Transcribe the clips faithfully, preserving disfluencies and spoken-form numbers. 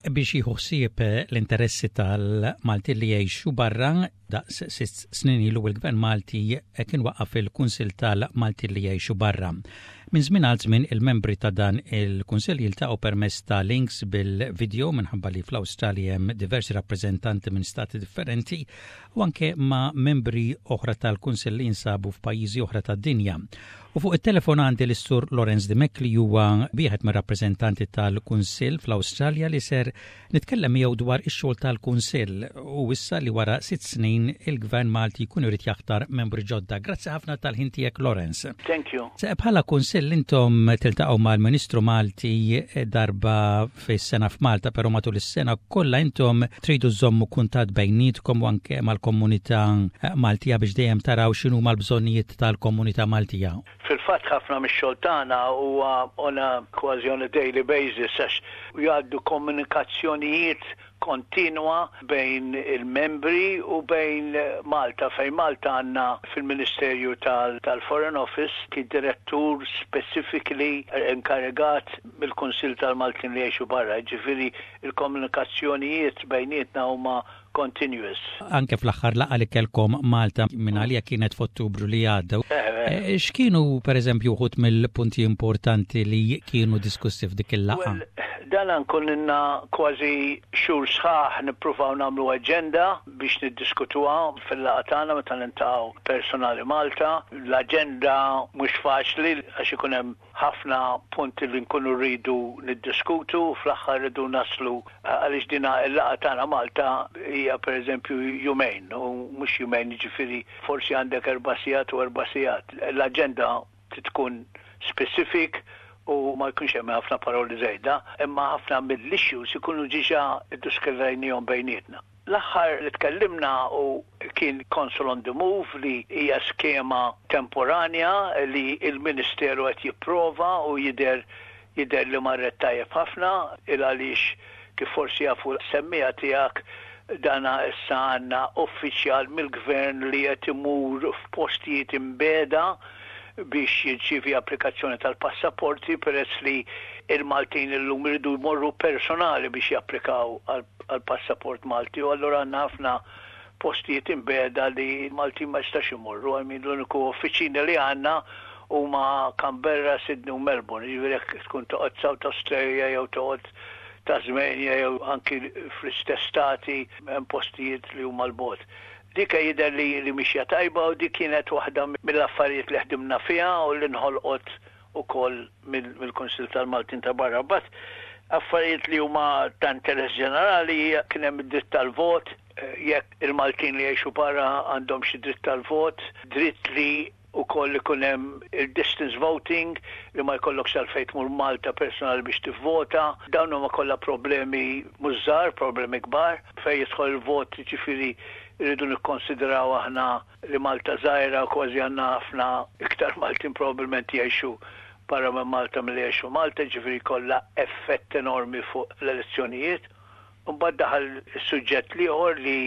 Biex jieħu ħsieb l-interessi tal-Malti li jgħixu barra, daqs sitt snin ilu il-Gvern Malti kien waqqaf il-Kunsil tal-Malti li jgħixu barra. Minn żmien għal żmien il-membri ta' dan il-Kunsill jiltaqgħu permezz ta' links bil-video, minħabba li fl-Awstralja hemm diversi rappreżentanti minn stati differenti, u anke ma' membri oħra tal-Kunsill li jinsabu f'pajjiżi oħra tad-dinja. U fuq it-telefon għandi l-Sur Lorenz Dimech, li huwa wieħed mir-rappreżentanti tal-Kunsill fl-Awstralja, li ser nitkellem miegħu dwar ix-xogħol tal-Kunsill u issa li wara sitt snin il-Gvern Malti jkun irid jaħtar membri ġodda. Grazzi ħafna tal-ħin tiegħek, Lorenz. Thank you. Bħala Kunsill intom tiltaqgħu mal-Ministru Malti darba fis-sena f'Malta, però matul is-sena kollha intom tridu żommu kuntatt bejnietkom u anke mal-komunità Maltija biex dejjem taraw x'inhuma l-bżonnijiet tal-komunità Maltija. Fil-fatt, ħafna mix-xogħol tagħna huwa on a kważi on a daily basis, għax jgħaddu komunikazzjonijiet kontinwa bejn il-membri u bejn Malta, fejn Malta għandna fil-Ministerju tal-Foreign Office ki direttur specifically inkarigat mill-Kunsil tal-Maltin li jgħixu barra, ġifieri il-komunikazzjonijiet bejnietna huma continuous. Anke fl-aħħar laqgħa li kellkom Malta, minn għalija kienet f'Ottubru li għadda. Eh, x'kienu, per eżempju, uħud mill-punti importanti li kienu diskussi f'dik il-laqgħa? Dan nkun ilna kważi xhur sħaħ nippruvaw nagħmlu aġenda biex niddiskutuha fil-laqgħa tagħna meta niltaqgħu personali Malta. L-aġenda mhux faċli għax ikun hemm ħafna punti li nkunu rridu niddiskutu, fl-aħħar rridu naslu, għaliex dina il-laqgħa tagħna Malta hija, pereżempju, jumejn u mhux jumejn, jiġifieri forsi għandek erba' sigħat u erba' sigħat. L-aġenda tkun specific u ma jkunx hemm ħafna paroli żejda, imma ħafna mill-issues ikunu diġà iddiskutejnihom bejnietna. L-aħħar li tkellimna u kien Consul on the Move, li hija skema temporanja li il-Ministeru qed jipprova u jidher jidher li marret tajjeb ħafna, il għaliex, kif forsi jafu s-semmiegħa tiegħek, dana issa għandna uffiċjal mill-gvern li qed imur f'postijiet imbiegħda biex jirċievi applikazzjoni tal-passaporti, peress li il-Maltin illum iridu jmorru personali biex japplikaw għal-passaport Malti, u allura għandna ħafna postijiet imbiegħda li l-Maltin ma jistax imorru għal min l-uniku uffiċini li għandna huma Canberra, Sydney u Melbourne. Ġifieri jekk tkun toqgħod South Australia jew toqgħod Tasmania jew anki fl-istess stati, hemm postijiet li huma 'l bogħod. Dik jidher li li mixja tajba u dik kienet waħda mill-affarijiet li ħdimna fiha u li nħolqot ukoll mill-Kunsil tal-Maltin ta' barra. But affarijiet li huma ta' interess ġenerali, kien hemm id-dritt tal-vot, jekk il-Maltin li jgħixu barra għandhom xi dritt tal-vot, dritt li ukoll ikun hemm il-distance voting, li ma jkollokx għalfejn tmur Malta personali biex tivvota. Dawn huma kollha problemi mhux żgħar, problemi kbar. Fejn jidħol il-vot, ġifieri rridu nikkonsidraw aħna li Malta żgħira, kważi għandna ħafna iktar Maltin probabbilment jgħixu barra minn Malta milli jgħixu Malta, ġifieri kollha effett enormi fuq l-elezzjonijiet. Mbagħad daħal is-suġġett l-ieħor li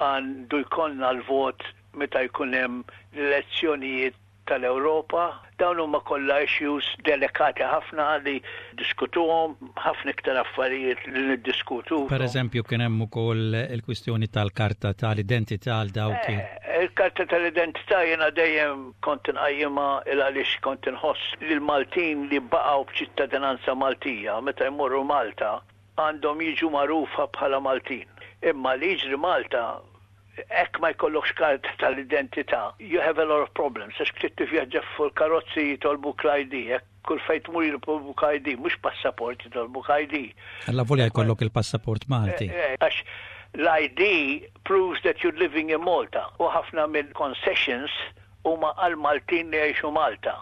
għandu jkollna l-vot meta jkun hemm l-elezzjonijiet tal-Ewropa. Dawn huma kollha issues delikati ħafna li diskutuhom, ħafna iktar affarijiet li niddiskutu. Per eżempju, kien hemm ukoll il-kwistjoni tal-karta tal-identità għal dawk. Eh, il-karta tal-identità jiena dejjem kont inqajjimha, il għaliex kont inħoss li l-Maltin li baqgħu b'ċittadinanza Maltija, meta jmorru Malta għandhom jiġu magħrufa bħala Maltin. Imma li jiġri Malta, jekk ma jkollokx karta tal-identità, you have a lot of problems. Għax trid tivvjaġġa fuq karozzi, jitolbuk l-I D, jekk kull fejn tmur jitolbuk I D, mhux passaport, jitolbuk I D. Alla volja jkollok il-passaport Malti. Eh, eh, għax l-I D proves that you're living in Malta. U ħafna mill-concessions huma għal Maltin li jgħixu Malta.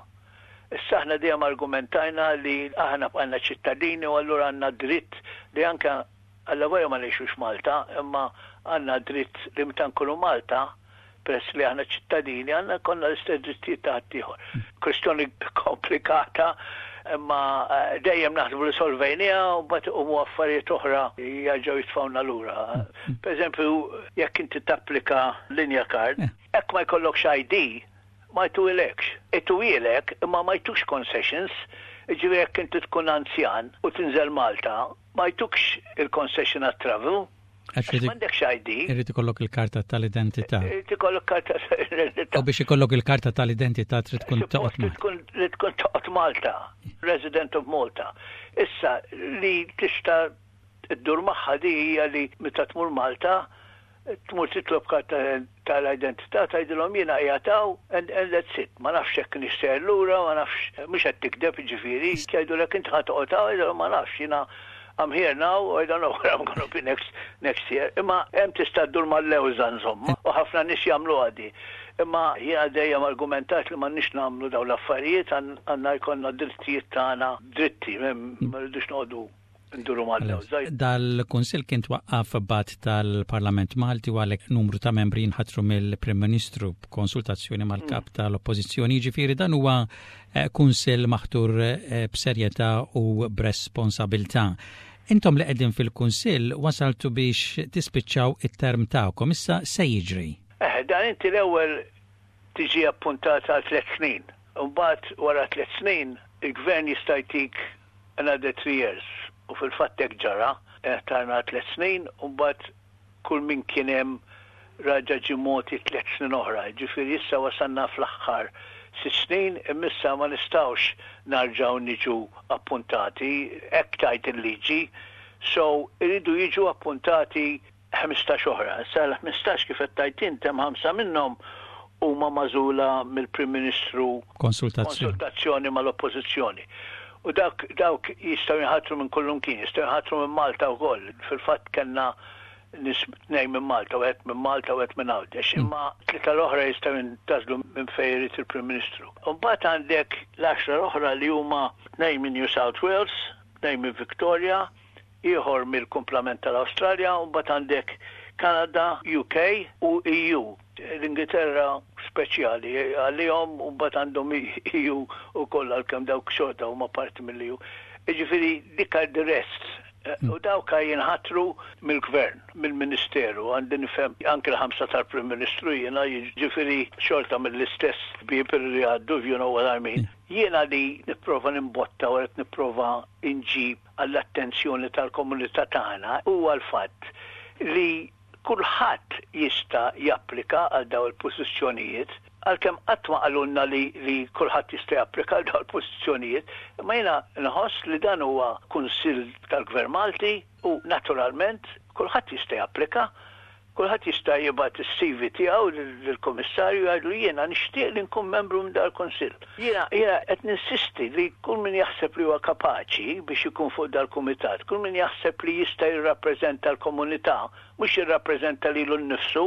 Issa aħna dejjem argumentajna li aħna bqajna ċittadini u allura għandna dritt li anke alla volja ma ngħixux Malta, imma għandna dritt li meta nkunu Malta, peress li aħna ċittadini, għandna jkollna l-istess drittijiet ta' ħaddieħor. Kwestjoni komplikata, imma eh, dejjem naħsbu li solvejnieha u mbagħad iqumu affarijiet oħra jerġgħu jitfgħuna lura. Per eżempju, jekk inti tapplika linja card, jekk ma jkollokx I D, ma jtuhielekx. Ituhielek imma ma jtukx concessions, ġifieri jekk inti tkun anzjan u tinżel Malta, Ma jtukx il-concession għat-travel. Għax m'għandekx I D. Irid ikollok il-karta tal-identità. Irid ikollok karta tal-identità. U biex ikollok il-karta tal-identità trid tkun toqgħod Malta. Li tkun toqgħod Malta, resident of Malta. Issa li tista' ddur magħha di hija li meta tmur Malta tmur titlob karta tal-identità, tgħidilhom jiena qiegħed hawn and, and that's it. Ma nafx hekk nixtieq lura, ma nafx, mhux qed tikdeb ġifieri, jgħidulek inti ħa toqgħod hawn, ma nafx jiena, I'm here now, I don't know where I'm gonna be next next year. Imma hemm tista' ddur mal-lewża insomma, u ħafna nies jagħmlu għadi. Imma jiena dejjem argumentat li m'għandniex nagħmlu dawn l-affarijiet, għandna jkollna drittijiet tagħna dritti, ma rridux noqogħdu nduru mal-lewża. Dal-Kunsill kien twaqqaf b'att tal-Parlament Malti u għalhekk numru ta' membri jinħatru mill-Prim Ministru b'konsultazzjoni mal-kap mm. tal-Oppożizzjoni. Ġifieri dan huwa eh, kunsill maħtur eh, b'serjetà u b'responsabilità. Intom li qegħdin fil-Kunsill wasaltu biex tispiċċaw it-term tagħkom, issa se jiġri? Eh, dan inti l-ewwel tiġi appuntat għal tliet snin. Mbagħad wara tliet snin il-gvern jista' jtik another three years u fil-fatt hekk ġara, tajna tliet snin u mbagħad kull min kien hemm raġa ġie mogħti tliet snin oħra. Ġifieri issa wasalna fl-aħħar sitt snin, imma ma nistgħux nerġgħu niġu appuntati, hekk tgħid il-liġi, so iridu jiġu appuntati ħmistax oħra. Sa l-ħmistax, kif qed tgħid int, hemm ħamsa minnhom huma magħżula mill-Prim Ministru konsultazzjoni, konsultazzjoni mal-Oppożizzjoni. U dak dawk jistgħu jinħatru minn kullimkien, jistgħu jinħatru minn Malta wkoll. Fil-fatt kellna nies, tnejn minn Malta, wieħed minn Malta u wieħed minn Għawdex, mm. imma tlieta l-oħra jistgħu jintgħażlu minn fejn irid il-Prim Ministru. Mbagħad għandek l-għaxra l-oħra li huma tnejn minn New South Wales, tnejn minn Victoria, ieħor mill-kumplament tal-Awstralja, u mbagħad għandek Kanada, U K u E U. L-Ingilterra speċjali għalihom u mbagħad għandhom E U u koll, għalkemm dawk xorta huma parti mill-E U. Jiġifieri dik the rest. U dawk jinħatru mill-gvern, mill-ministeru, għandi nifhem anke l-ħamsa tal-Prim Ministru jiena, jiġifieri xorta mill-istess bieb li għaddu, you know what I mean. Jiena li nipprova nimbotta u qed nipprova inġib għall-attenzjoni tal-komunità tagħna huwa l-fatt li kulħadd jista' japplika għal daw il-pożizzjonijiet, għalkemm qatt ma qalulna li, li kulħadd jista' japplika għal daw il-pożizzjonijiet, imma jiena nħoss li dan huwa kunsill tal-Gvern Malti u naturalment kulħadd jista' japplika. Kulħadd jista' jibgħat is-C V tiegħu lill-Kummissarju, jgħidu jiena nixtieq li nkun membru minn dal-kunsill. Jiena jiena qed ninsisti li kull min jaħseb li huwa kapaċi biex ikun fuq dal-kumitat, kull min jaħseb li jista' jirrappreżenta l-komunità, mhux jirrappreżenta lilu nnifsu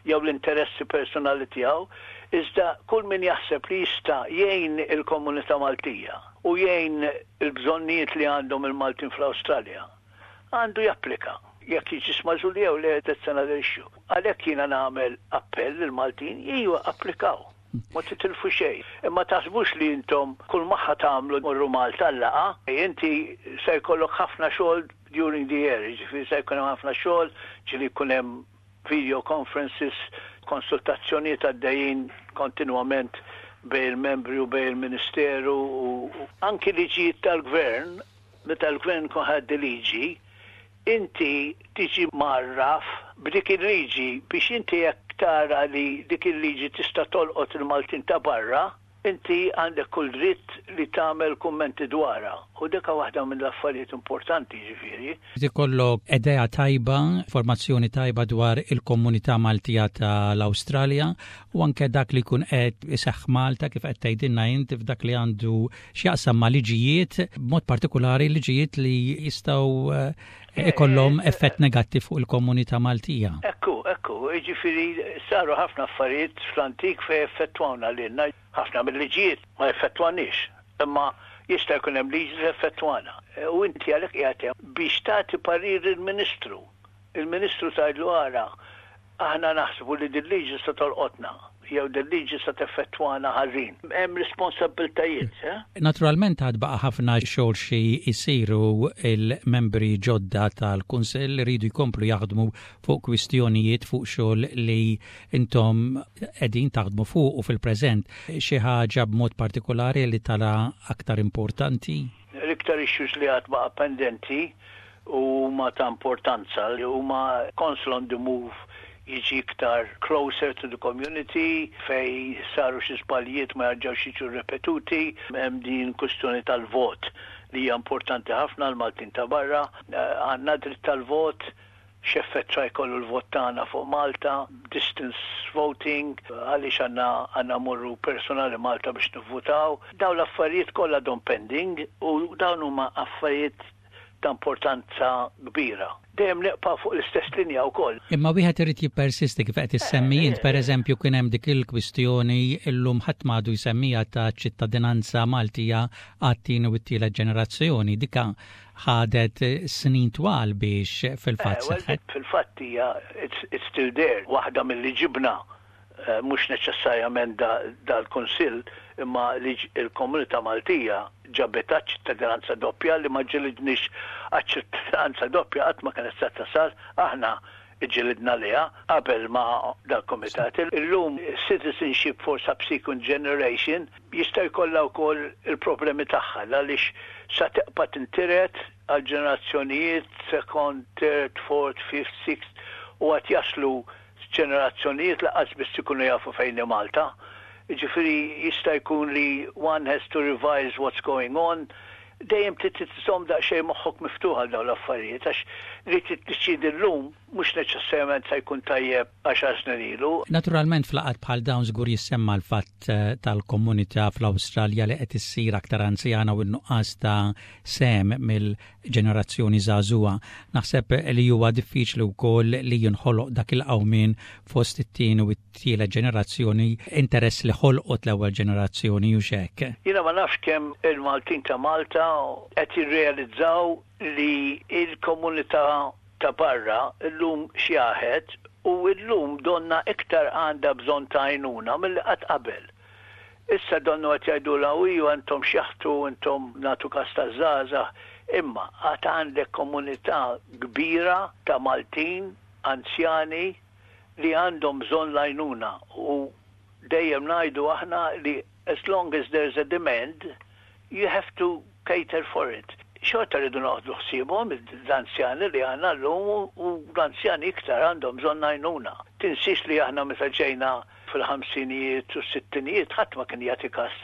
jew l-interessi personali tiegħu, iżda kull min jaħseb li jista' jgħin il-komunità Maltija u jgħin il-bżonnijiet li għandhom il-Maltin fl-Awstralja, għandu japplika. Jekk jiġi magħżul jew le, that's another issue. Għalhekk jiena nagħmel appell lill-Maltin, ejja applikaw. Ma titilfu xejn. Imma taħsbux li intom kull ma ħa tagħmlu morru Malta laqgħa, inti se jkollok ħafna xogħol during the year, ġifieri se jkun hemm ħafna xogħol, ġieli jkun hemm video conferences, konsultazzjonijiet għaddejjin kontinwament bejn il-membri u bejn il-Ministeru u anki liġijiet tal-gvern. Meta l-gvern kun ħa liġi, inti tiġi mgħarraf b'dik il-liġi biex inti jekk tara li dik il-liġi tista' tolqot il-Maltin ta' barra, inti għandek kull dritt li tagħmel kummenti dwarha. U dik waħda mill-affarijiet importanti ġifieri. Ikollok idea tajba, informazzjoni tajba dwar il-komunità Maltija tal-Awstralja u anke dak li jkun qed iseħħ Malta, kif qed tgħidilna inti, f'dak li għandu x'jaqsam ma' liġijiet, b'mod partikolari liġijiet li jistgħu eh, ikollhom effett negattiv fuq il-komunità Maltija. Ekku, ekku, ġifieri saru ħafna affarijiet fl-antik fejn effettwawna lilna, ħafna mill-liġijiet ma effettwanix, imma jista' jkun hemm liġi li effettwana. U inti għalhekk qiegħed biex tagħti parir il-Ministru. Il-Ministru tgħidlu, "Ara, aħna naħsbu li din liġi se tolqotna jew din liġi se teffettwana ħażin." Hemm responsabbiltajiet, eh? Naturalment għad baqa' ħafna xogħol xi jsiru. Il-membri ġodda tal-Kunsill iridu jkomplu jaħdmu fuq kwistjonijiet, fuq xogħol li intom qegħdin taħdmu fuq u fil-preżent. Xi ħaġa b'mod partikolari li tara aktar importanti? L-iktar issues li għad baqa' pendenti u huma ta' importanza li huma Council on the Move jiġi iktar closer to the community, fej saru xi żbaljiet ma jarġgħux jiġu ripetuti. Hemm din kwistjoni tal-vot li hija importanti ħafna l-Maltin ta' barra. Għandna dritt tal-vot, x'effett sa jkollu l-vot tagħna fuq Malta, distance voting, għaliex għandna għandna morru personali Malta biex nivvutaw. Dawn l-affarijiet kollha għadhom pending u dawn huma affarijiet ta' importanza kbira. Dejjem neqpa' fuq l-istess linja wkoll. Imma wieħed irid jippersisti kif qed issemmi int. Pereżempju, kien hemm dik il-kwistjoni, illum ħadd m'għadu jsemmiha, ta' ċittadinanza Maltija għat-tieni u t-tielet ġenerazzjoni. Dika ħadet snin twal biex fil-fatt eh, seħħet. Fil-fatt hija it's still there. Waħda mill-li ġibna, eh, mhux neċessarjament dal-Kunsill, imma li il-komunità Maltija ġabet ċittadinanza doppja, li ma ġilidniex ċittadinanza doppja, qatt ma kienet se tasal, aħna ġilidna liha qabel ma dal-komitat. Illum citizenship for subsequent generation jista' jkollha wkoll il-problemi tagħha, għaliex sa tibqa' tintiret għal ġenerazzjonijiet second, third, fourth, fifth, sixth, u għad jaslu ġenerazzjonijiet lanqas biss ikunu jafu fejn Malta. Ġifieri jista' jkun li one has to revise what's going on. Dejjem trid tżomm daqsxejn moħħok miftuħ għal dawn l-affarijiet, għax li tiddeċiedi llum mhux neċessarjament se jkun tajjeb għaxar snin ilu. Naturalment, f'laqgħat bħal dawn żgur jissemma l-fatt eh, tal-komunità fl-Awstralja li qed issir aktar anzjana u n-nuqqas ta' sehem mill-ġenerazzjoni żagħżugħa. Naħseb li huwa diffiċli wkoll li jinħoloq dak il-qawmien fost it-tieni u t-tielet ġenerazzjoni, interess li ħolqot l-ewwel ġenerazzjoni u xek. Jiena ma nafx kemm il-Maltin ta' Malta qed jirrealizzaw li il-komunità ta' barra illum xjaħet u illum donna iktar għandha bżonn ta' għajnuna mill-li qatt qabel. Issa donnu qed jgħidu la iju intom xjaħtu, intom nagħtu kas taż-żgħażagħ, imma għad għandek komunità kbira ta' Maltin anzjani li għandhom bżonn l-għajnuna u dejjem ngħidu aħna li as long as there's a demand, you have to cater for it. Xorta rridu noħdu ħsiebhom l-anzjani li għandna llum u l-anzjani iktar għandhom bżonn għajnuna. Tinsix li aħna meta ġejna fil-ħamsinijiet u s-sittinijiet ħadd ma kien jagħti kas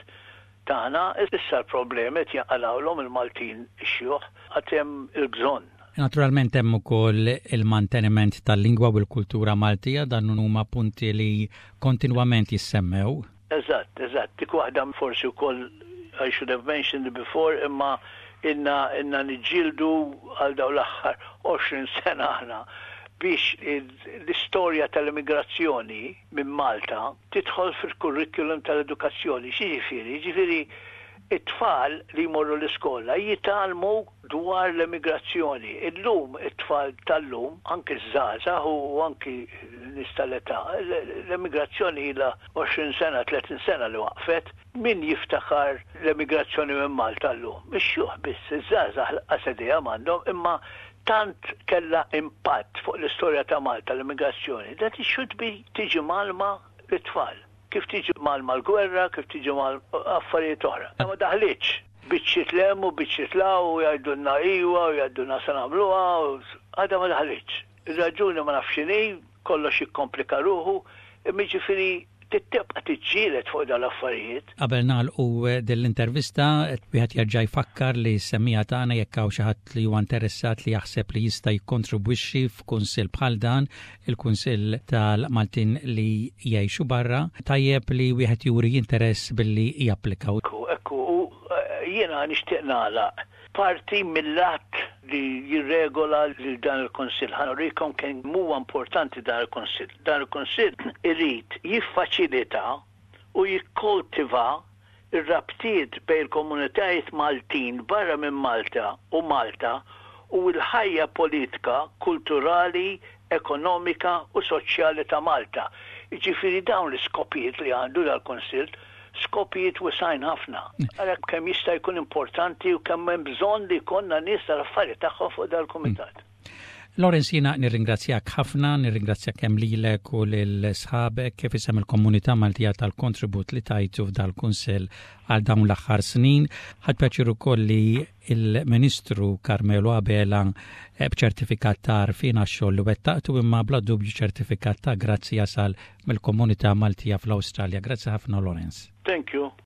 tagħna, issa l-problemi qed jinqalgħulhom il-Maltin ix-xjuħ, għad hemm il-bżonn. Naturalment hemm ukoll il-manteniment tal-lingwa u l-kultura Maltija, dan huma punti li kontinwament jissemmew. Eżatt, eżatt. Dik waħda forsi wkoll I should have mentioned it before, imma inna inna niġġieldu għal dawn l-aħħar għoxrin sena aħna biex l-istorja tal-immigrazzjoni minn Malta tidħol fil-kurrikulum tal-edukazzjoni. X'jiġifieri? Ġifieri it-tfal li jmorru l-iskola jitgħallmu dwar l-immigrazzjoni. Illum it-tfal tal-lum, anki żgħażagħ u anki nies tal-età, l-immigrazzjoni ilha għoxrin sena, tletin sena li waqfet. Min jiftakar l-immigrazzjoni minn Malta llum? Ix-xjuħ biss, iż-żgħażagħ lanqas idea m'għandhom, imma tant kella impatt fuq l-istorja ta' Malta l-immigrazzjoni, that it should be tiġi mgħallma lit-tfal. Kif tiġi mgħallma l-gwerra, kif tiġi mgħallma affarijiet oħra. Ma daħlitx. Biċċiet 'l hemm u biċċiet 'l hawn u jgħidulna iwa u jgħidulna se nagħmluha, għadha ma daħlitx. Ir-raġuni ma nafx x'inhi, kollox jikkomplika ruħu, imma ġifieri tibqa' tiġġieled fuq dawn l-affarijiet. Qabel nagħlqu din l-intervista, wieħed jerġa' jfakkar li semmiegħa tagħna, jekk hawn xi ħadd li huwa interessat li jaħseb li jista' jikkontribwixxi f'kunsill bħal dan, il-Kunsill tal-Maltin li jgħixu barra, tajjeb li wieħed juri interess billi japplika. Ekku, ekku, u eh, jiena nixtieq nagħlaq parti mill-att li jirregola lil dan il-Kunsill. Ħa nurikom kemm huwa importanti dan il-Kunsill. Dan il-Kunsill irid jiffaċilita u jikkoltiva ir-rabtiet bejn il-komunitajiet Maltin barra minn Malta u Malta u l-ħajja politika, kulturali, ekonomika u soċjali ta' Malta. Ġifieri dawn l-iskopijiet li għandu dal-Kunsill, skopijiet wesgħin ħafna. Ara kemm jista' jkun importanti u kemm hemm bżonn li jkollna nies tal-affarijiet tagħhom fuq dal-kumitat. Lawrence, jiena nirringrazzjak ħafna, nirringrazzjak kemm lilek u lil sħabek kif isem il-komunità Maltija tal-kontribut li tajtu f'dal-kunsill għal dawn l-aħħar snin. Ħadt pjaċir ukoll li il-Ministru Carmelo Abela eh, b'ċertifikat ta' għarfien għax-xogħol li wettaqtu imma bla dubju ċertifikat ta' grazzi jasal mill-komunità Maltija fl-Awstralja. Grazzi ħafna Lawrence. Thank you.